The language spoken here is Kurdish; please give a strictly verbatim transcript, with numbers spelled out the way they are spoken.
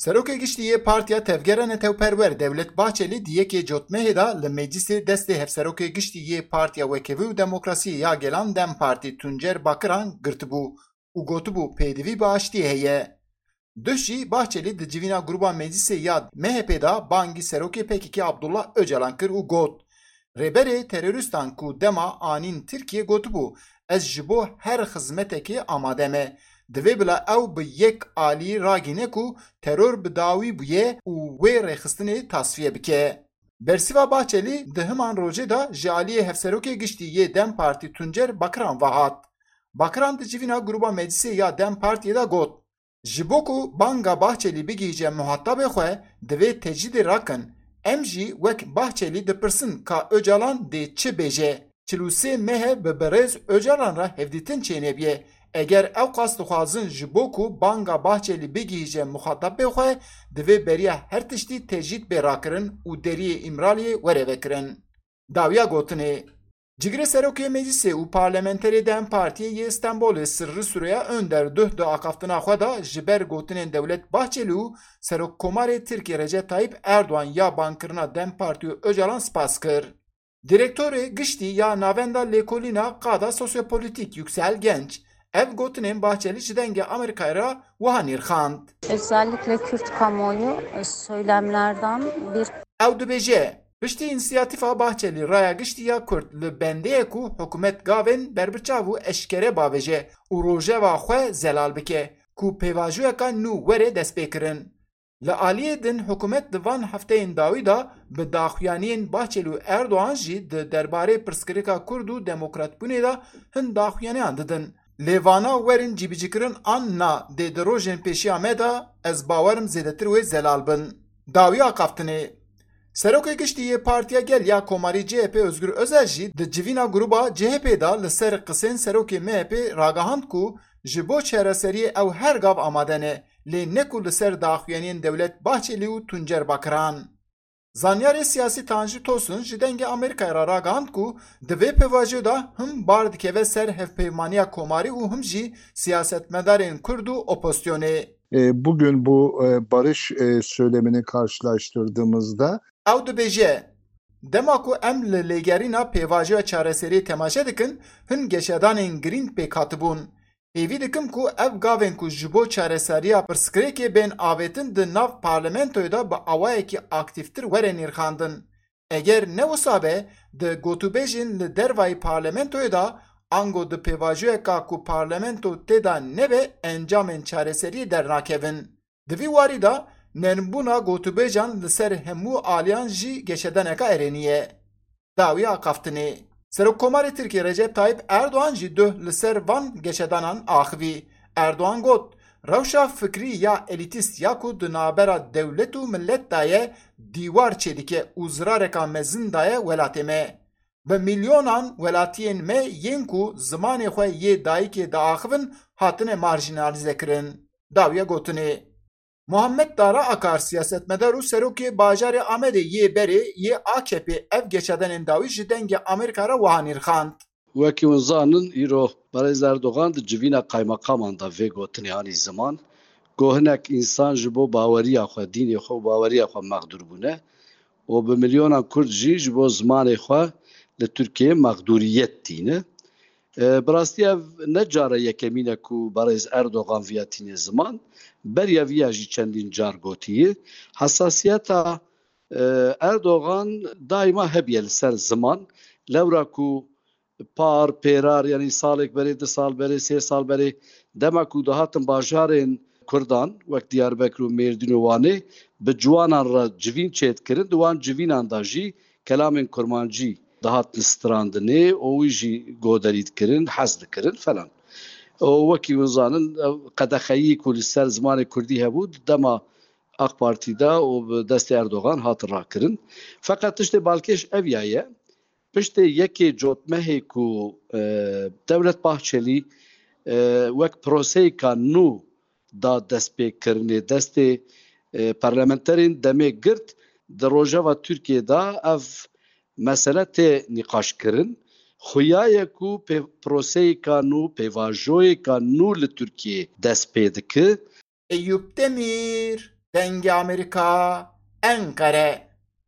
Serokê Giştî yê Partiya Tevgera Netewperwer Dewlet Bahçelî di yekê Cotmehê de li Meclisê destê Hevserokê Giştî yê Partiya Wekevî û Demokrasiyê ya Gelan DEM Partî Tuncer Bakiran girtibû û gotibû pêdivî bi aştiyê heye. Duh jî Bahçelî di civîna Gruba Meclisê ya M H P de bangî Serokê P K K Abdullah Ocalan kir û got, Rêberê terorîstan ku dema anîn Tirkiye gotibû, Ez ji bo her xizmetekê amade me. Divê bila ew bi yek alî ragîne ku teror bi dawî bûye û wê rêxistinê tasfiye bike. Bersîva Bahçelî di himan rojê de ji aliyê Hevserokê Giştî yê DEM Partî Tuncer Bakiran ve hat. Bakiran di civîna Gruba Meclisê ya DEM Partiyê de got, Ji bo ku banga Bahçelî bigihîje muhatabê xwe, divê tecrîdê rakin. Em jî wek Bahçelî dipirsin ka Ocalan dê çi bêje. Çil û sê meh e bi birêz Ocalan re hevdîtin çênebûye. Eger ew qas dixwazin ji bo ku banga Bahçelî bigihîje muxatabê xwe, divê beriya her tiştî tecrîd bê rakirin û deriyê Îmraliyê were vekirin. Dawiya gotinê, Cigirê Serokê Meclisê û parlamenterê DEM Partiyê yê Stenbolê Sirri Süreyya Önder duh di axaftina xwe de ji ber gotinên Dewlet Bahçelî û Serokkomarê Tirkiyê Recep Tayyip Erdoğan ya bankirina DEM Partî û Ocalan spas kir. Direktorê Giştî ya Navenda Lêkolîna Qada Sosyopolitîk Yüksel Genç, ev gotinên Bahçelî ji Dengê Amerîkayê re wiha nirxand. Özellikle Kürt kamuoyu, e, söylemlerden bir Ew dibêje, Piştî însiyatîfa Bahçelî raya giştî ya Kurd li bendê ye ku hikûmet gavên berbiçav û eşkere bavêje û rojeva xwe zelal bike ku pêvajoyeka nû were destpêkirin. Li aliyê din hikûmet di van hefteyên dawî de bi daxuyaniyên Bahçelî û Erdogan jî di derbarê pirsgirêka Kurd û demokratbûnê de hin daxuyaniyan didin. Lê vana werin cîbicîkirin an na dê di rojên pêşiya me de ez bawerim zêdetir wê zelal bin. Dawiya axaftinê. Serokê Giştî yê Partiya Gel ya Komarî C H P Özgür Özel jî di civîna Gruba C H P de li ser qisên Serokê M H P ragihand ku ji bo çareseriyê ew her gav amade ne, lê ne ku li ser daxuyaniyên Dewlet Bahçelî û Tuncer Bakiran. Zanyarê siyasî Tanju Tosun ji Dengê Amerîkayê re ragihand ku di vê pêvajoyê de him bar dikeve ser hevpeyvaniya komarî û him jî siyasetmedarên Kurd û opozisyonê. E, bugün bu, e, barış, e, söylemini karşılaştırdığımızda Ew dibêje, Dema ku em li lêgerîna pêvajoya çareseriyê temaşe dikin, hin geşedanên girîng pêk hatibûn. Hêvî dikim ku ev gavên ku ji bo çareseriya pirsgirêkê bên avêtin di nav parlamentoyê de bi awayekî aktîftir were nirxandin. Eger ne wisa be, di gotûbêjên li dervayî parlamentoyê de ango di pêvajoyeka ku parlamento tê de nebe encamên çareseriyê dernakevin. Di vî warî de nermbûna gotûbêjan li ser hemû aliyan jî geşedaneka erênî ye. Dawiya axaftinê. Serokkomarê Tirkiyê Recep Tayyip Erdogan jî duh li ser van geşedanan axivî. Erdogan got, Rewşa fikrî ya elîtîst ya ku di navbera dewlet û milet de ye, dîwar çêdike û zirareka mezin daye welatê me. Bi milyonan welatiyên me yên ku zimanê xwe yê dayikê diaxivin hatine marjînalîzekirin. Dawiya gotinê. Muhammed Dara Akar, siyasetmedar û serokê bajarê Amedê yê berê yê A K P ev geşedanên dawî ji Dengê Amerîka re wiha nirxand. Wekî hûn zanin, îro Berêz Erdogan di civîna qaymaqaman de vê gotinê anî ziman, ku hinek însan ji bo baweriya xwe, dînê xwe û baweriya xwe mexdûr bûne û bi milyonan Kurd jî ji bo zimanê xwe li Tirkiyeyê mexdûriyet tîne. E, bi rastî ev ne cara yekemîn e ku Berêz Erdogan viya tîne ziman, beriya viya jî çendîn car gotiye. Hesasiyeta, e, Erdogan daîma hebiye li ser ziman. Lewra ku par, pêrar, yanî salek berê, du sal berê, sê sal berê, dema ku dihatin bajarên Kurdan, wek Diyarbekir û Mêrdîn û Wanê, bi ciwanan re civîn çêdikirin, di wan civînan de jî kelamên kurmancî dihatin strandinê û wî jî goderî dikirin, hez dikirin falan. Û wekî hûn zanin, ev qedexeyî ku li ser zimanê kurdî hebû, di dema AK Partî de û bi destê Erdogan hat rakirin. Feqet tiştê balkêş ev ya ye, piştê yekê cotmehê ku, e, Dewlet Bahçelî, e, wek proseyeka nû da destpêkirinê, destê, e, parlamenterên demê girt, di rojeva Tirkiyê de ev mesele tê nîqaşkirin. Xuya ye ku pê-, proseyeka nû, pêvajoyeka nû li Tirkiyê dest pê dike. Eyûp Demîr, Dengê Amerîka, Enqere.